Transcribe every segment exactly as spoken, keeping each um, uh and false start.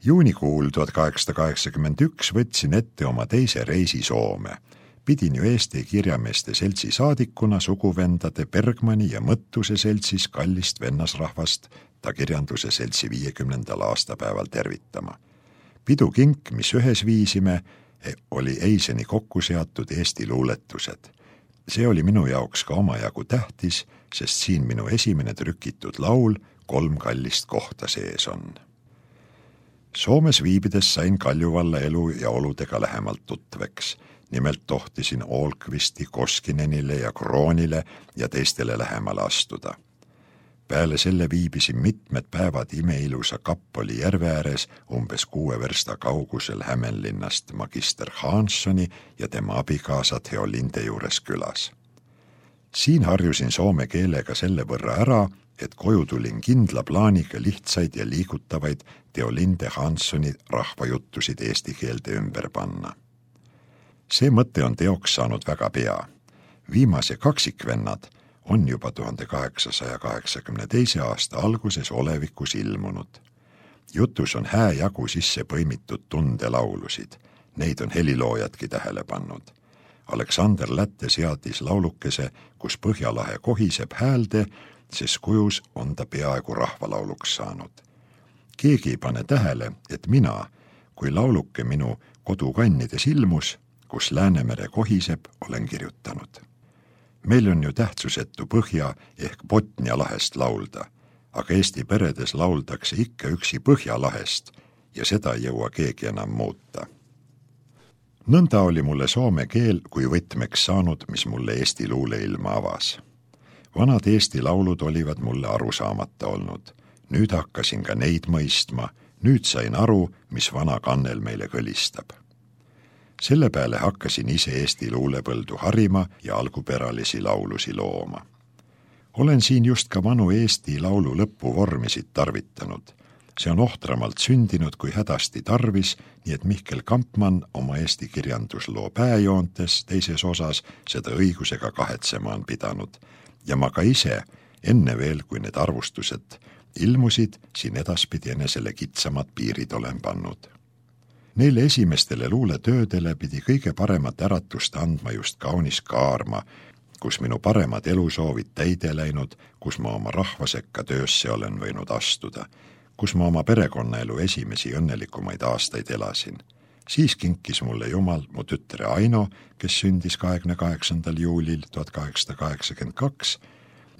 Juunikuul tuhat kaheksasada kaheksakümmend üks võtsin ette oma teise reisi Soome. Pidin ju Eesti Kirjameeste Seltsi saadikuna suguvendade Bergmani ja Mõttuse seltsis kallist vennasrahvast ta kirjanduse seltsi viiekümnendal aastapäeval tervitama. Pidukink, mis ühes viisime, oli eiseni kokku seatud Eesti luuletused. See oli minu jaoks ka omajagu tähtis, sest siin minu esimene trükitud laul Kolm kallist kohta sees on. Soomes viibides sain Kaljuvalla elu ja oludega lähemalt tutveks. Nimelt tohtisin Olkvisti, Koskinenile ja Kroonile ja teistele lähemale astuda. Peale selle viibisin mitmed päevad imeilusa Kappoli järve ääres umbes kuue versta kaugusel Hämeenlinnast magister Hanssoni ja tema abikaasa Theolinde juures külas. Siin harjusin soome keelega selle võrra ära, et koju tulin kindla plaaniga lihtsaid ja liigutavaid Theolinde Hanssoni rahvajuttusid eesti keelde ümber panna. See mõte on teoks saanud väga pea. Viimase kaksikvennad on juba tuhande kaheksasaja kaheksakümne teise aasta alguses olevikus ilmunud. Jutus on hää jagu sisse põimitud tundelaulusid. Neid on heliloojadki tähele pannud. Aleksander Lätte seadis laulukese, kus Põhjalahe kohiseb häälde, sest kujus on ta peaaegu rahvalauluks saanud. Keegi ei pane tähele, et mina, kui lauluke minu kodukannides ilmus, kus Läänemere kohiseb, olen kirjutanud. Meil on ju tähtsusetu Põhja ehk Botnia lahest laulda, aga Eesti peredes lauldakse ikka üksi Põhjalahest ja seda ei jõua keegi enam muuta. Nõnda oli mulle soome keel kui võtmeks saanud, mis mulle Eesti luuleilma avas. Vanad Eesti laulud olivad mulle arusaamata olnud. Nüüd hakkasin ka neid mõistma, nüüd sain aru, mis vana kannel meile kõlistab. Selle peale hakkasin ise Eesti luulepõldu harima ja algupäralisi laulusi looma. Olen siin just ka vanu Eesti laulu lõpuvormisid tarvitanud. See on ohtramalt sündinud kui hädasti tarvis, nii et Mihkel Kampmann oma Eesti kirjandusloo pääjoontes teises osas seda õigusega kahetsema on pidanud. Ja ma ka ise, enne veel, kui need arvustused ilmusid, siin edaspidi enesele kitsamad piirid olen pannud. Neile esimestele luuletöödele pidi kõige paremat äratust andma just kaunis Kaarma, kus minu paremad elusoovid täide läinud, kus ma oma rahvasekka töösse olen võinud astuda, kus ma oma perekonnaelu esimesi õnnelikumaid aastaid elasin. Siis kinkis mulle Jumal mu tütre Aino, kes sündis kahekümne kaheksandal juulil tuhat kaheksasada kaheksakümmend kaks.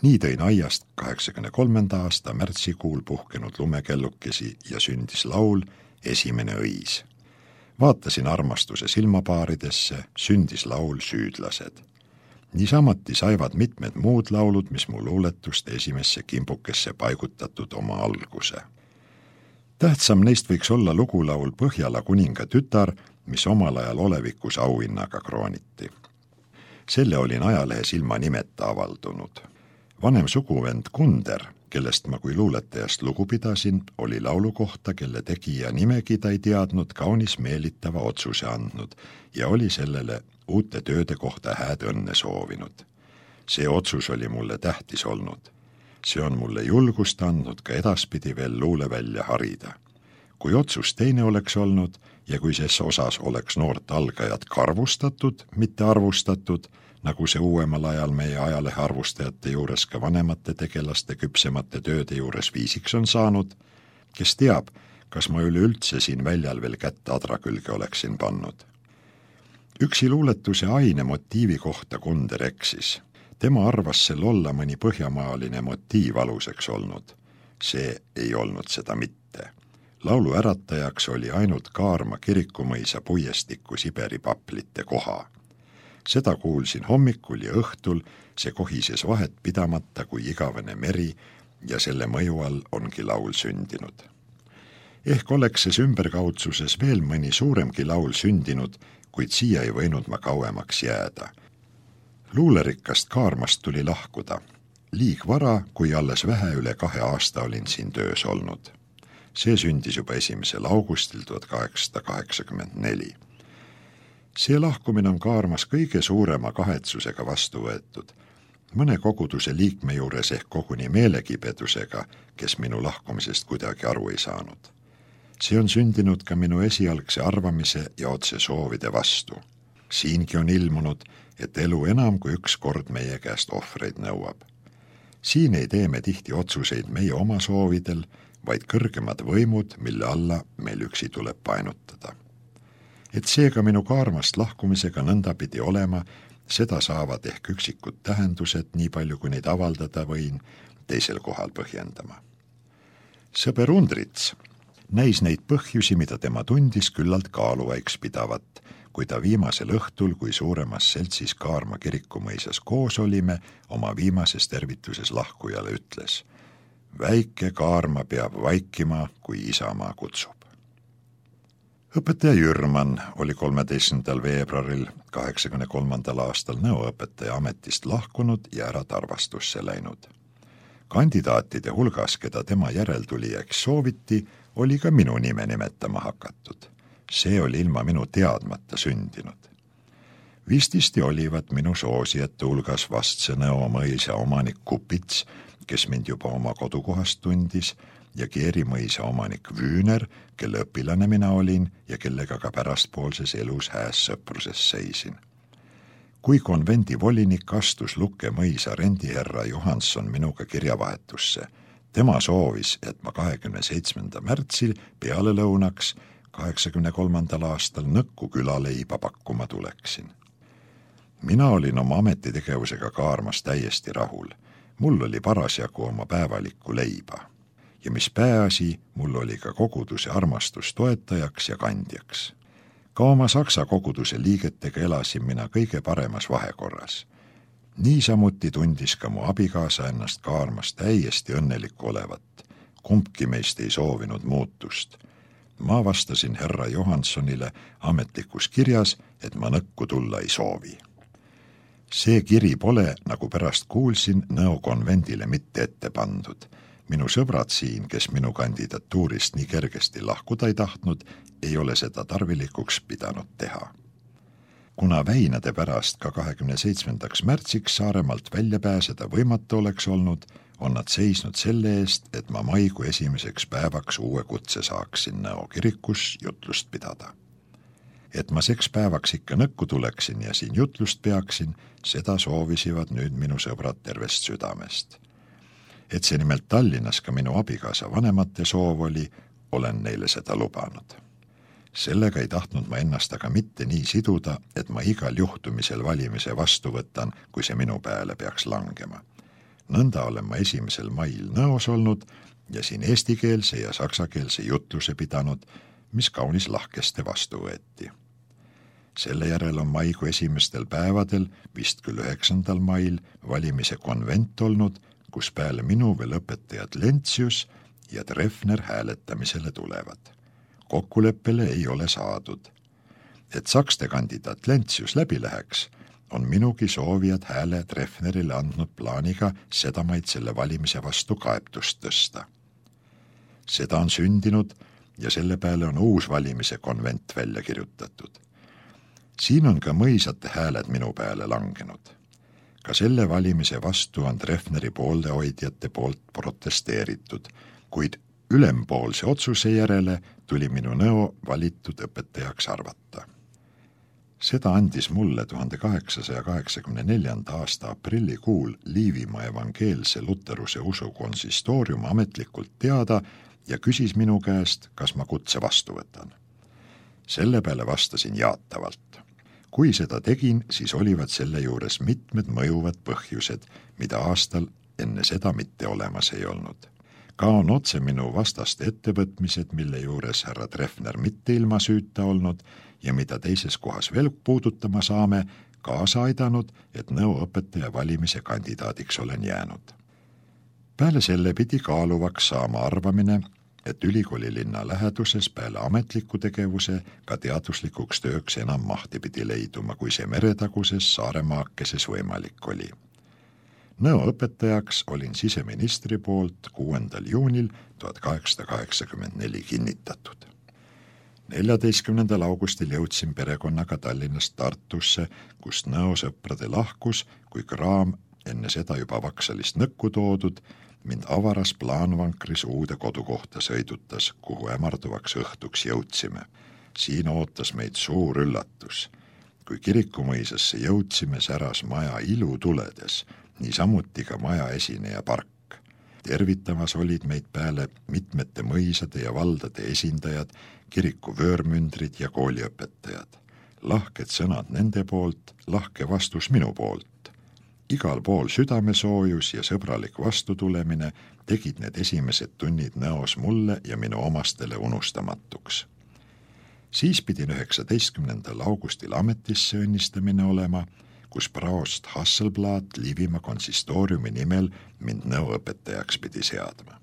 Nii tõin aiast kaheksakümne kolmanda aasta märtsikuul puhkenud lumekellukesi ja sündis laul Esimene õis. Vaatasin armastuse silmapaaridesse, sündis laul Süüdlased. Niisamati saivad mitmed muud laulud, mis mu luuletust esimesse kimbukesse paigutatud oma alguse. Tähtsam neist võiks olla lugulaul Põhjala kuninga tütar, mis omal ajal olevikus auhinnaga krooniti. Selle olin ajalehes ilma nimeta avaldunud. Vanem suguvend Kunder, kellest ma kui luuletajast lugu pidasin, oli laulu kohta, kelle tegija nimegi ta ei teadnud, kaunis meelitava otsuse andnud ja oli sellele uute tööde kohta hääd õnne soovinud. See otsus oli mulle tähtis olnud. See on mulle julgust andnud ka edaspidi veel luule välja harida. Kui otsus teine oleks olnud ja kui ses osas oleks noort algajat karvustatud, mitte arvustatud, nagu see uuemal ajal meie ajalehe arvustajate juures ka vanemate tegelaste küpsemate tööde juures viisiks on saanud, kes teab, kas ma üleüldse siin väljal veel kätte adra külge oleksin pannud. Üksi luuletuse aine motiivi kohta Kunder eksis. Tema arvas sel olla mõni põhjamaaline motiiv aluseks olnud. See ei olnud seda mitte. Laulu äratajaks oli ainult Kaarma kirikumõisa puiestiku Siberi paplite koha. Seda kuulsin hommikul ja õhtul, see kohises vahet pidamata kui igavene meri ja selle mõju all ongi laul sündinud. Ehk oleks ses ümberkaudsuses veel mõni suuremgi laul sündinud, kuid siia ei võinud ma kauemaks jääda. Luulerikkast Kaarmast tuli lahkuda. Liig vara, kui alles vähe üle kahe aasta olin siin töös olnud. See sündis juba esimesel augustil tuhat kaheksasada kaheksakümmend neli. See lahkumine on Kaarmas kõige suurema kahetsusega vastu võetud. Mõne koguduse liikme juures ehk koguni meelegipedusega, kes minu lahkumisest kuidagi aru ei saanud. See on sündinud ka minu esialgse arvamise ja otse soovide vastu. Siingi on ilmunud, et elu enam kui üks kord meie käest ohvreid nõuab. Siin ei tee me tihti otsuseid meie oma soovidel, vaid kõrgemad võimud, mille alla meil üksi tuleb painutada. Et seega minu kaarmast lahkumisega nõnda pidi olema, seda saavad ehk üksikud tähendused, nii palju kui neid avaldada võin, teisel kohal põhjendama. Sõber Undrits näis neid põhjusi, mida tema tundis küllalt kaaluvaiks pidavat, kui ta viimasel õhtul, kui suuremas seltsis Kaarma kirikumõisas koos olime, oma viimases tervituses lahkujale ütles: väike Kaarma peab vaikima, kui isamaa kutsub. Õpetaja Jürman oli kolmeteistkümnendal veebruaril kaheksakümne kolmandal aastal nõuõpetaja ametist lahkunud ja ära Tarvastusse läinud. Kandidaatide hulgas, keda tema järeltulijaks sooviti, oli ka minu nime nimetama hakatud. See oli ilma minu teadmata sündinud. Vististi olivat minu soosijate hulgas vastse Nõo mõisa omanik Kupits, kes mind juba oma kodukohast tundis, ja Keeri mõisa omanik Vüüner, kelle õpilane mina olin ja kellega ka pärastpoolses elus hääs sõpruses seisin. Kui konvendi volinik astus Lukke mõisa rendiherra Johansson minuga kirjavahetusse, tema soovis, et ma kahekümne seitsmenda märtsil peale lõunaks kaheksakümne kolmandal aastal Nõkku külaleiba pakkuma tuleksin. Mina olin oma ametitegevusega Kaarmas täiesti rahul. Mul oli parasjagu oma päevalikku leiba. Ja mis pääasi, mul oli ka koguduse armastus toetajaks ja kandjaks. Ka oma saksa koguduse liigetega elasin mina kõige paremas vahekorras. Niisamuti tundis ka mu abikaasa ennast Kaarmas täiesti õnnelik olevat. Kumbki meist ei soovinud muutust. Ma vastasin herra Johanssonile ametlikus kirjas, et ma Nõkku tulla ei soovi. See kiri pole, nagu pärast kuulsin, Nõo konvendile mitte ette pandud. Minu sõbrad siin, kes minu kandidatuurist nii kergesti lahkuda ei tahtnud, ei ole seda tarvilikuks pidanud teha. Kuna väinade pärast ka kahekümne seitsmendaks märtsiks Saaremaalt välja pääseda võimatu oleks olnud, on nad seisnud selle eest, et ma maikuu esimeseks päevaks uue kutse saaksin Nõo kirikus jutlust pidada. Et ma seks päevaks ikka Nõkku tuleksin ja siin jutlust peaksin, seda soovisivad nüüd minu sõbrad tervest südamest. Et see nimelt Tallinnas ka minu abikaasa vanemate soov oli, olen neile seda lubanud. Sellega ei tahtnud ma ennast aga mitte nii siduda, et ma igal juhtumisel valimise vastu võtan, kui see minu peale peaks langema. Nõnda olen ma esimesel mail Nõos olnud ja siin eestikeelse ja saksakeelse jutluse pidanud, mis kaunis lahkeste vastu võeti. Selle järel on maikuu esimestel päevadel, vist küll üheksandal mail, valimise konvent olnud, kus peale minu veel õpetajad Lentsius ja Treffner hääletamisele tulevad. Kokkuleppele ei ole saadud. Et sakste kandidaat Lentsius läbi läheks, on minugi soovijad hääle Treffnerile andnud plaaniga sedamaid selle valimise vastu kaebtust tõsta. Seda on sündinud ja selle peale on uus valimise konvent välja kirjutatud. Siin on ka mõisate hääled minu peale langenud. Ka selle valimise vastu on Treffneri pooldehoidjate poolt protesteeritud, kuid ülempoolse otsuse järele tuli minu Nõo valitud õpetajaks arvata. Seda andis mulle tuhande kaheksasaja kaheksakümne neljanda aasta aprillikuul Liivimaa evangeelse luteruse usu konsistoorium ametlikult teada ja küsis minu käest, kas ma kutse vastu võtan. Selle peale vastasin jaatavalt. Kui seda tegin, siis olivad selle juures mitmed mõjuvad põhjused, mida aastal enne seda mitte olemas ei olnud. Ka on otse minu vastaste ettevõtmised, mille juures härra Treffner mitte ilma süüta olnud ja mida teises kohas veel puudutama saame, kaasa aidanud, et Nõo õpetaja valimise kandidaadiks olen jäänud. Peale selle pidi kaaluvaks saama arvamine, et ülikooli linna läheduses peale ametliku tegevuse ka teaduslikuks tööks enam mahti pidi leiduma, kui see meretaguses Saaremaakeses võimalik oli. Nõo õpetajaks olin siseministri poolt kuuendal juunil tuhat kaheksasada kaheksakümmend neli kinnitatud. neljateistkümnendal augustil jõudsin perekonnaga Tallinnast Tartusse, kust Nõo sõprade lahkus, kui kraam enne seda juba Vaksalist nõkku toodud, mind avaras plaanvankris uude kodukohta sõidutas, kuhu ämarduvaks õhtuks jõudsime. Siin ootas meid suur üllatus. Kui kirikumõisasse jõudsime, säras maja ilu tuledes, niisamuti ka maja esineja park. Tervitamas olid meid peale mitmete mõisade ja valdade esindajad, kiriku vöörmündrid ja kooliõpetajad. Lahked sõnad nende poolt, lahke vastus minu poolt. Igal pool südamesoojus ja sõbralik vastutulemine tegid need esimesed tunnid Nõos mulle ja minu omastele unustamatuks. Siis pidin üheksateistkümnendal augustil ametisse õnnistamine olema, kus praost Hasselblad Liivimaa konsistooriumi nimel mind nõuõpetajaks pidi seadma.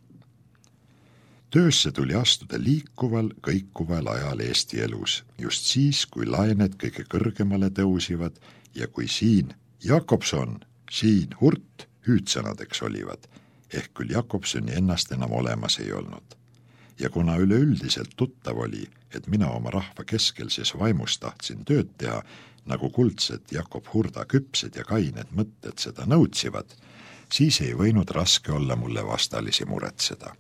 Töösse tuli astuda liikuval, kõikuval ajal Eesti elus, just siis, kui laened kõige kõrgemale tõusivad ja kui siin Jakobson, siin Hurt hüüdsõnadeks olivad, ehk küll Jakobsoni ennast enam olemas ei olnud. Ja kuna üleüldiselt tuttav oli, et mina oma rahva keskelses vaimus tahtsin tööd teha, nagu kuldsed Jakob Hurda küpsed ja kained mõtted seda nõutsivad, siis ei võinud raske olla mulle vastalisi muretseda.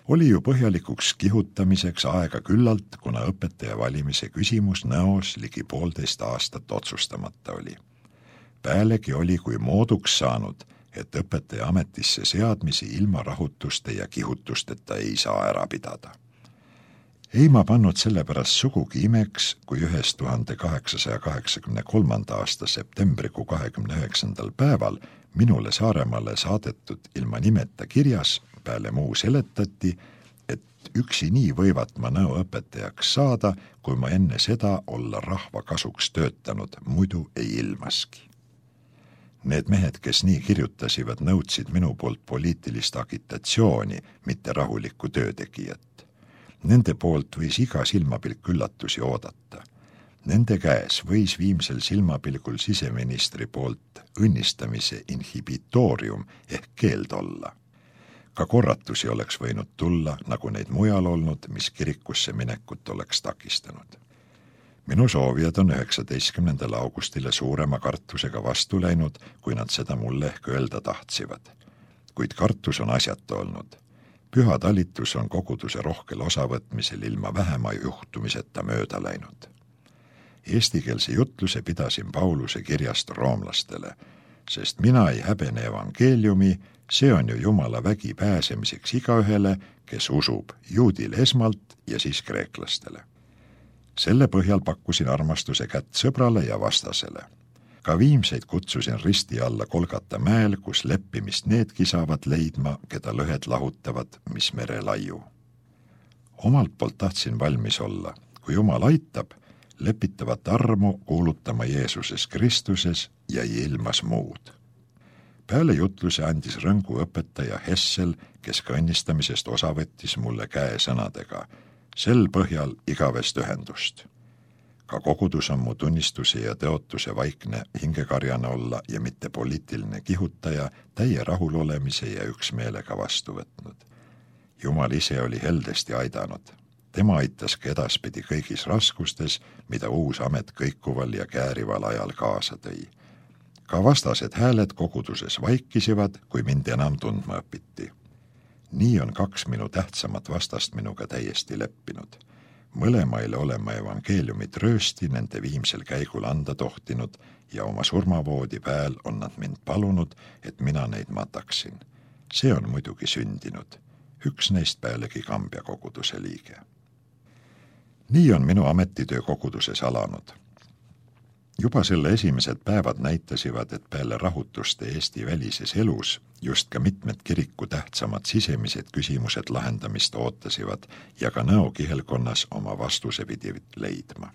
Oli ju põhjalikuks kihutamiseks aega küllalt, kuna õpetaja valimise küsimus Nõos ligi poolteist aastat otsustamata oli. Päälegi oli kui mooduks saanud, et õpetaja ametisse seadmisi ilma rahutuste ja kihutusteta ei saa ära pidada. Ei ma pannud sellepärast sugugi imeks, kui ühes tuhande kaheksasaja kaheksakümne kolmanda aasta septembrikuu kahekümne üheksandal päeval minule Saaremaale saadetud ilma nimeta kirjas peale muu seletati, et üksi nii võivat ma nõuõpetajaks saada, kui ma enne seda olla rahva kasuks töötanud, muidu ei ilmaski. Need mehed, kes nii kirjutasivad, nõudsid minu poolt poliitilist agitatsiooni, mitte rahulikku töötegijat. Nende poolt võis iga silmapilk üllatusi oodata. Nende käes võis viimsel silmapilgul siseministri poolt õnnistamise inhibitoorium ehk keeld olla. Ka korratusi oleks võinud tulla, nagu neid mujal olnud, mis kirikusse minekut oleks takistanud. Minu soovijad on üheksateistkümnendal augustile suurema kartusega vastu läinud, kui nad seda mulle ehk öelda tahtsиvad. Kuid kartus on asjata olnud. Püha talitus on koguduse rohkel osavõtmisel ilma vähema juhtumiseta mööda läinud. Eestikeelse jutluse pidasin Pauluse kirjast roomlastele, sest mina ei häbene evangeeliumi, see on ju Jumala vägi pääsemiseks igaühele, kes usub juudil esmalt ja siis kreeklastele. Selle põhjal pakkusin armastuse kätt sõbrale ja vastasele. Ka viimseid kutsusin risti alla Kolgata mäel, kus leppimist needki saavad leidma, keda lõhed lahutavad, mis mere laiu. Omalt poolt tahtsin valmis olla, kui Jumal aitab, lepitavat armu kuulutama Jeesuses Kristuses ja ilmas muud. Peale jutluse andis rõngu õpetaja Hessel, kes ka õnnistamisest osa võttis mulle käe sõnadega, sel põhjal igavest ühendust. Ka kogudus on mu tunnistuse ja teotuse vaikne hingekarjane olla ja mitte poliitiline kihutaja täie rahulolemise ja üksmeelega vastu võtnud. Jumal ise oli heldesti aidanud. Tema aitas ka edaspidi kõigis raskustes, mida uus amet kõikuval ja käärival ajal kaasa tõi. Ka vastased hääled koguduses vaikisivad, kui mind enam tundma õpiti. Nii on kaks minu tähtsamat vastast minuga täiesti leppinud. Mõlemaile olema evangeeliumid röösti nende viimsel käigul anda tohtinud ja oma surmavoodi pääl on nad mind palunud, et mina neid mataksin. See on muidugi sündinud. Üks neist pealegi Kambja koguduse liige. Nii on minu ametitöö koguduses alanud. Juba selle esimesed päevad näitasivad, et peale rahutuste Eesti välises elus just ka mitmed kiriku tähtsamad sisemised küsimused lahendamist ootasivad ja ka Nõo kihelkonnas oma vastuse pidi leidma.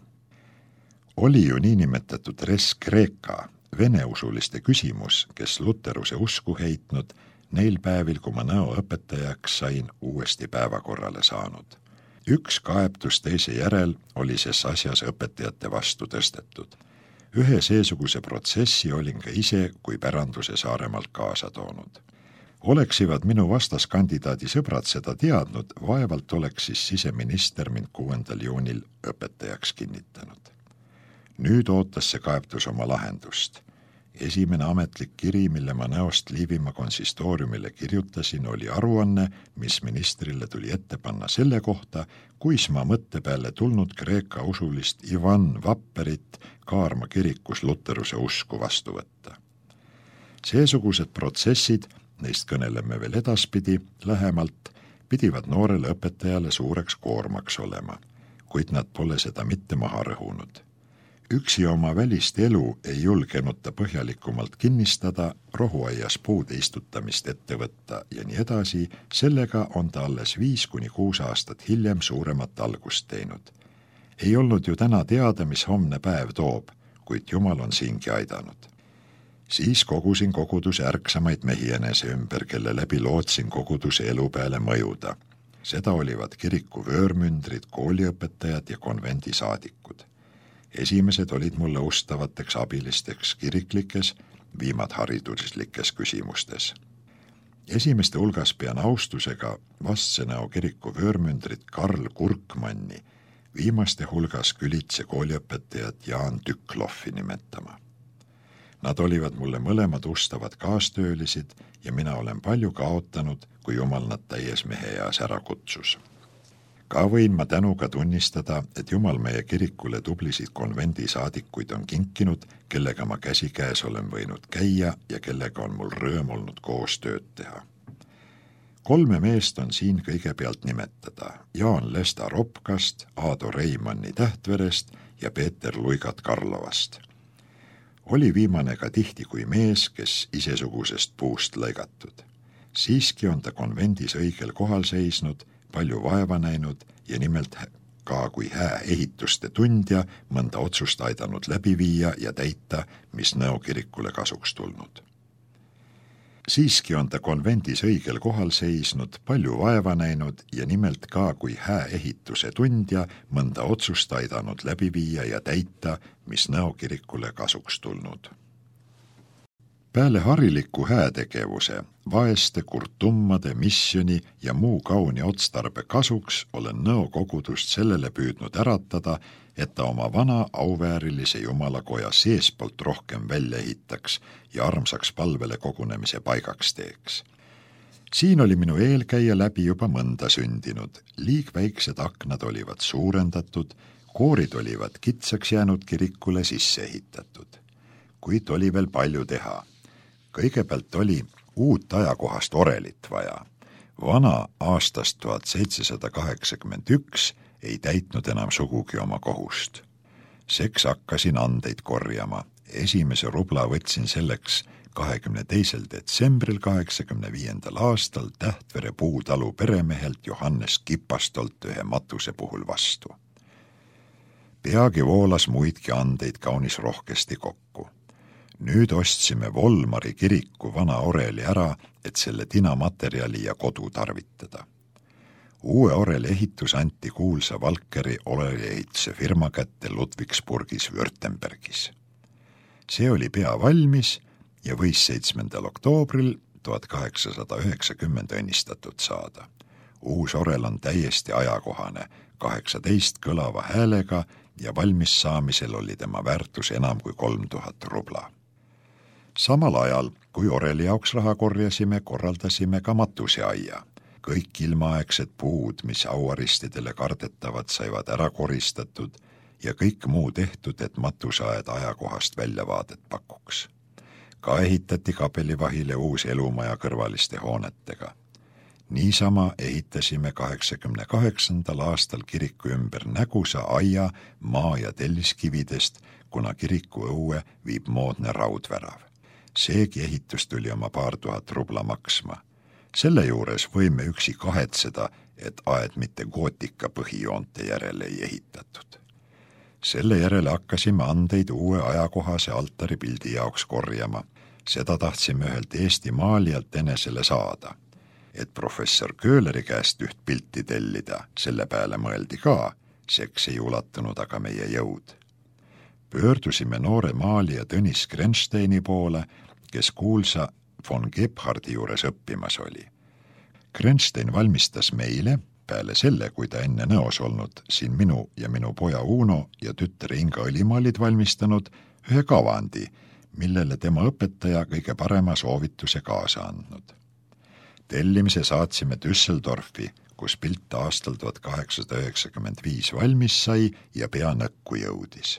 Oli ju niinimetatud res Kreeka, veneusuliste küsimus, kes luteruse usku heitnud, neil päevil, kui ma Nõo õpetajaks sain, uuesti päevakorrale saanud. Üks kaebtus teise järel oli ses asjas õpetajate vastu tõstetud. Ühe seesuguse protsessi olin ka ise kui päranduse Saaremaalt kaasa toonud. Oleksivad minu vastaskandidaadi sõbrad seda teadnud, vaevalt oleks siis siseminister mind kuuendal juunil õpetajaks kinnitanud. Nüüd ootas see kaebtus oma lahendust. Esimene ametlik kiri, mille ma Nõost Liivimaa konsistooriumile kirjutasin, oli aruanne, mis ministrile tuli ette panna selle kohta, kuis ma mõtte peale tulnud Kreeka usulist Ivan Vapperit Kaarma kirikus luteruse usku vastu võtta. Seesugused protsessid, neist kõneleme veel edaspidi lähemalt, pidivad noorele õpetajale suureks koormaks olema, kuid nad pole seda mitte maha rõhunud. Üksi oma välist elu ei julgenud ta põhjalikumalt kinnistada, rohuaias puude istutamist ette võtta ja nii edasi, sellega on ta alles viis kuni kuus aastat hiljem suuremat algust teinud. Ei olnud ju täna teada, mis homne päev toob, kuid Jumal on siingi aidanud. Siis kogusin koguduse ärksamaid mehi enese ümber, kelle läbi lootsin koguduse elu peale mõjuda. Seda olivad kiriku vöörmündrid, kooliõpetajad ja konvendi saadikud. Esimesed olid mulle ustavateks abilisteks kiriklikes, viimad hariduslikes küsimustes. Esimeste hulgas pean austusega Vastsenäo kiriku vöörmündrit Karl Kurkmanni, viimaste hulgas Külitse kooliõpetajat Jaan Tükloffi nimetama. Nad olivad mulle mõlemad ustavad kaastöölisid ja mina olen palju kaotanud, kui Jumal nad täies meheeas ära kutsus. Ka võin ma tänuga tunnistada, et Jumal meie kirikule tublisid konvendi saadikuid on kinkinud, kellega ma käsikäes olen võinud käia ja kellega on mul rõõm olnud koos tööd teha. Kolme meest on siin kõigepealt nimetada: Jaan Lesta Ropkast, Aado Reimanni Tähtverest ja Peeter Luigat Karlovast. Oli viimane ka tihti kui mees, kes isesugusest puust lõigatud. Siiski on ta konvendis õigel kohal seisnud, palju vaeva näinud ja nimelt ka kui hää ehituste tundja mõnda otsust aidanud läbi viia ja täita, mis Nõo kirikule kasuks tulnud. Siiski on ta konvendis õigel kohal seisnud, palju vaeva näinud ja nimelt ka kui hää ehituse tundja mõnda otsust aidanud läbi viia ja täita, mis Nõo kirikule kasuks tulnud. Peale hariliku häätegevuse, vaeste, kurtummade, missioni ja muu kauni otstarbe kasuks olen Nõo kogudust sellele püüdnud äratada, et ta oma vana auväärilise Jumalakoja seespoolt rohkem välja ehitaks ja armsaks palvele kogunemise paigaks teeks. Siin oli minu eelkäija läbi juba mõnda sündinud, liigväiksed aknad olivad suurendatud, koorid olivad kitsaks jäänud kirikule sisse ehitatud. Kuid oli veel palju teha. Kõigepealt oli uut ajakohast orelit vaja. Vana aastast tuhat seitsesada kaheksakümmend üks ei täitnud enam sugugi oma kohust. Seks hakkasin andeid korjama. Esimese rubla võtsin selleks kahekümne teisel detsembril kaheksakümne viiendal aastal Tähtvere puutalu peremehelt Johannes Kipastolt ühe matuse puhul vastu. Peagi voolas muidki andeid kaunis rohkesti kokku. Nüüd ostsime Volmari kiriku vana oreli ära, et selle tinamaterjali ja kodu tarvitada. Uue oreli ehitus anti kuulsa Valkeri oreliehituse firma kätte Ludwigsburgis Württembergis. See oli pea valmis ja võis seitsmendal oktoobril tuhat kaheksasada üheksakümmend õnnistatud saada. Uus orel on täiesti ajakohane, kaheksateist kõlava häälega ja valmis saamisel oli tema väärtus enam kui kolm tuhat rubla. Samal ajal, kui oreli jaoks raha korjasime, korraldasime ka matuseaia. Kõik ilmaaegsed puud, mis auaristidele kardetavad, saivad ära koristatud ja kõik muu tehtud, et matuseaed ajakohast väljavaadet pakuks. Ka ehitati kapelivahile uus elumaja kõrvaliste hoonetega. Niisama ehitasime kaheksakümne kaheksandal aastal kiriku ümber nägusa aia maa- ja telliskividest, kuna kiriku õue viib moodne raudvärav. Seegi ehitus tuli oma paar tuhat rubla maksma. Selle juures võime üksi kahetseda, et aed mitte gootika põhijoonte järele ei ehitatud. Selle järele hakkasime andeid uue ajakohase altaripildi jaoks korjama. Seda tahtsime ühelt Eesti maalijalt enesele saada. Et professor Köhleri käest üht pilti tellida, selle peale mõeldi ka, seks ei ulatunud aga meie jõud. Pöördusime noore maalija Tõnis Grensteini poole, kes kuulsa von Gebhardi juures õppimas oli. Grenstein valmistas meile, peale selle, kui ta enne Nõos olnud, siin minu ja minu poja Uno ja tütre Inga Õlimaa olid valmistanud ühe kavandi, millele tema õpetaja kõige parema soovituse kaasa andnud. Tellimise saatsime Düsseldorfi, kus pilt aastal tuhat kaheksasada üheksakümmend viis valmis sai ja pea nõkku jõudis.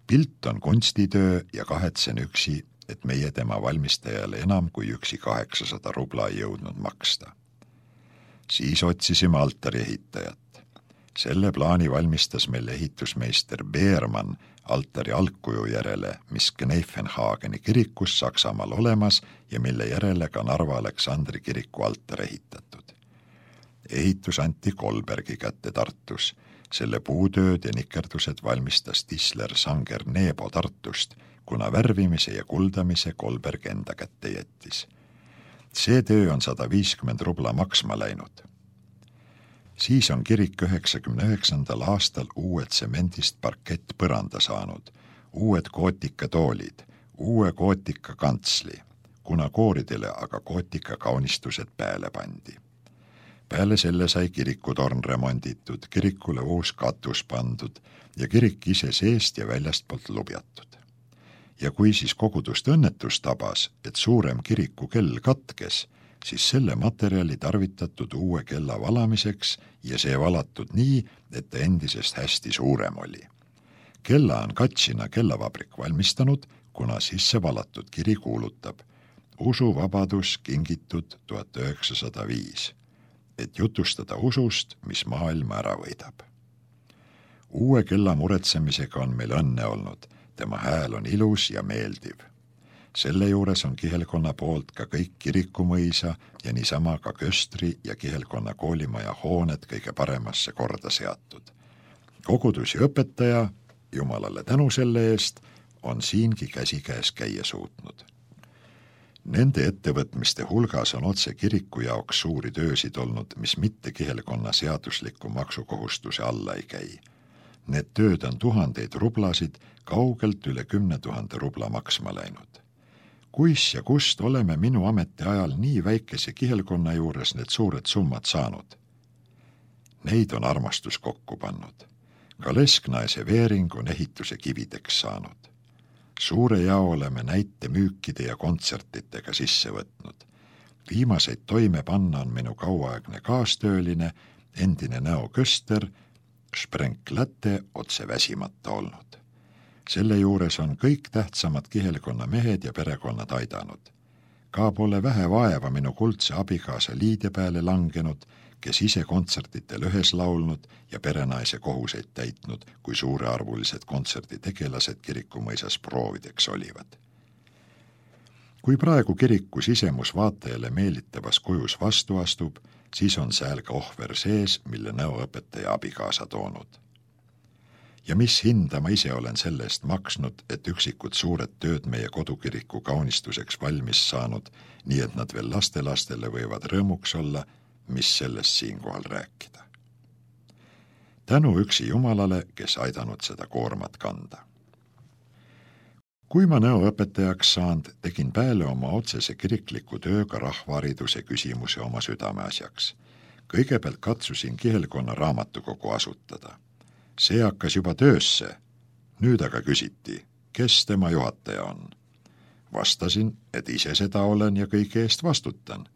Pilt on kunstitöö ja kahetsen üksi, et meie tema valmistajale enam kui üksi kaheksasada rubla ei jõudnud maksta. Siis otsisime altari ehitajat. Selle plaani valmistas meil ehitusmeister Beermann altari algkuju järele, mis Gneifenhageni kirikus Saksamaal olemas ja mille järele ka Narva Aleksandri kiriku altar ehitatud. Ehitus anti Kolbergi kätte Tartus. Selle puutööd ja nikerdused valmistas Tisler Sanger Neebo Tartust, kuna värvimise ja kuldamise Kolberg enda kätte jättis. See töö on sada viiskümmend rubla maksma läinud. Siis on kirik üheksakümne üheksandal aastal uue tsemendist parkett põranda saanud, uued kootika toolid, uue kootika kantsli, kuna kooridele aga kootika kaunistused pääle pandi. Peale selle sai kirikutorn remonditud, kirikule uus katus pandud ja kirik ise seest ja väljastpoolt lubjatud. Ja kui siis kogudust õnnetus tabas, et suurem kiriku kell katkes, siis selle materjali tarvitatud uue kella valamiseks ja see valatud nii, et ta endisest hästi suurem oli. Kella on Katsina kellavabrik valmistanud, kuna sisse valatud kiri kuulutab usuvabadus kingitud tuhat üheksasada viis, et jutustada usust, mis maailma ära võidab. Uue kella muretsemisega on meil õnne olnud, tema hääl on ilus ja meeldiv. Selle juures on kihelkonna poolt ka kõik kirikumõisa ja niisama ka köstri ja kihelkonna koolimaja hooned kõige paremasse korda seatud. Kogudus ja õpetaja, Jumalale tänu selle eest, on siingi käsikäes käia suutnud. Nende ettevõtmiste hulgas on otse kiriku jaoks suuri töösid olnud, mis mitte kihelkonna seadusliku maksukohustuse alla ei käi. Need tööd on tuhandeid rublasid, kaugelt üle kümne tuhande rubla maksma läinud. Kuis ja kust oleme minu ametiajal nii väikese kihelkonna juures need suured summad saanud? Neid on armastus kokku pannud. Ka Lesknaese veering on ehituse kivideks saanud. Suure jao oleme näite müükide ja kontsertitega sisse võtnud. Viimaseid toime panna on minu kauaaegne kaastööline, endine Näo Köster, Sprenk Läte otse väsimata olnud. Selle juures on kõik tähtsamad kihelkonna mehed ja perekonnad aidanud. Ka pole vähe vaeva minu kuldse abikaasa Liide peale langenud, kes ise kontsertitel ühes laulnud ja perenaise kohuseid täitnud, kui suurearvulised kontserditegelased kirikumõisas proovideks olivad. Kui praegu kiriku sisemus vaatajale meelitavas kujus vastu astub, siis on sääl ka ohver sees, mille näoõpetaja abikaasa toonud. Ja mis hinda ma ise olen selle eest maksnud, et üksikud suured tööd meie kodukiriku kaunistuseks valmis saanud, nii et nad veel lastelastele võivad rõõmuks olla, mis sellest siinkohal rääkida. Tänu üksi Jumalale, kes aidanud seda koormat kanda. Kui ma näoõpetajaks saanud, tegin pääle oma otsese kirikliku tööga rahvahariduse küsimuse oma südameasjaks. Kõigepealt katsusin kihelkonna raamatukogu asutada. See hakkas juba töösse. Nüüd aga küsiti, kes tema juhataja on. Vastasin, et ise seda olen ja kõige eest vastutan.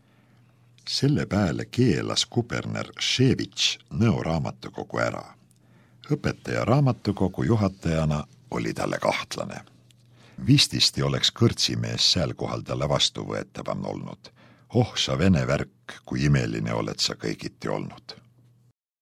Selle pääle keelas kuberner Ševitš Nõo raamatukogu ära. Õpetaja raamatukogu juhatajana oli talle kahtlane. Vististi oleks kõrtsimees sääl kohal talle vastuvõetavam olnud. Oh, sa vene värk, kui imeline oled sa kõigiti olnud.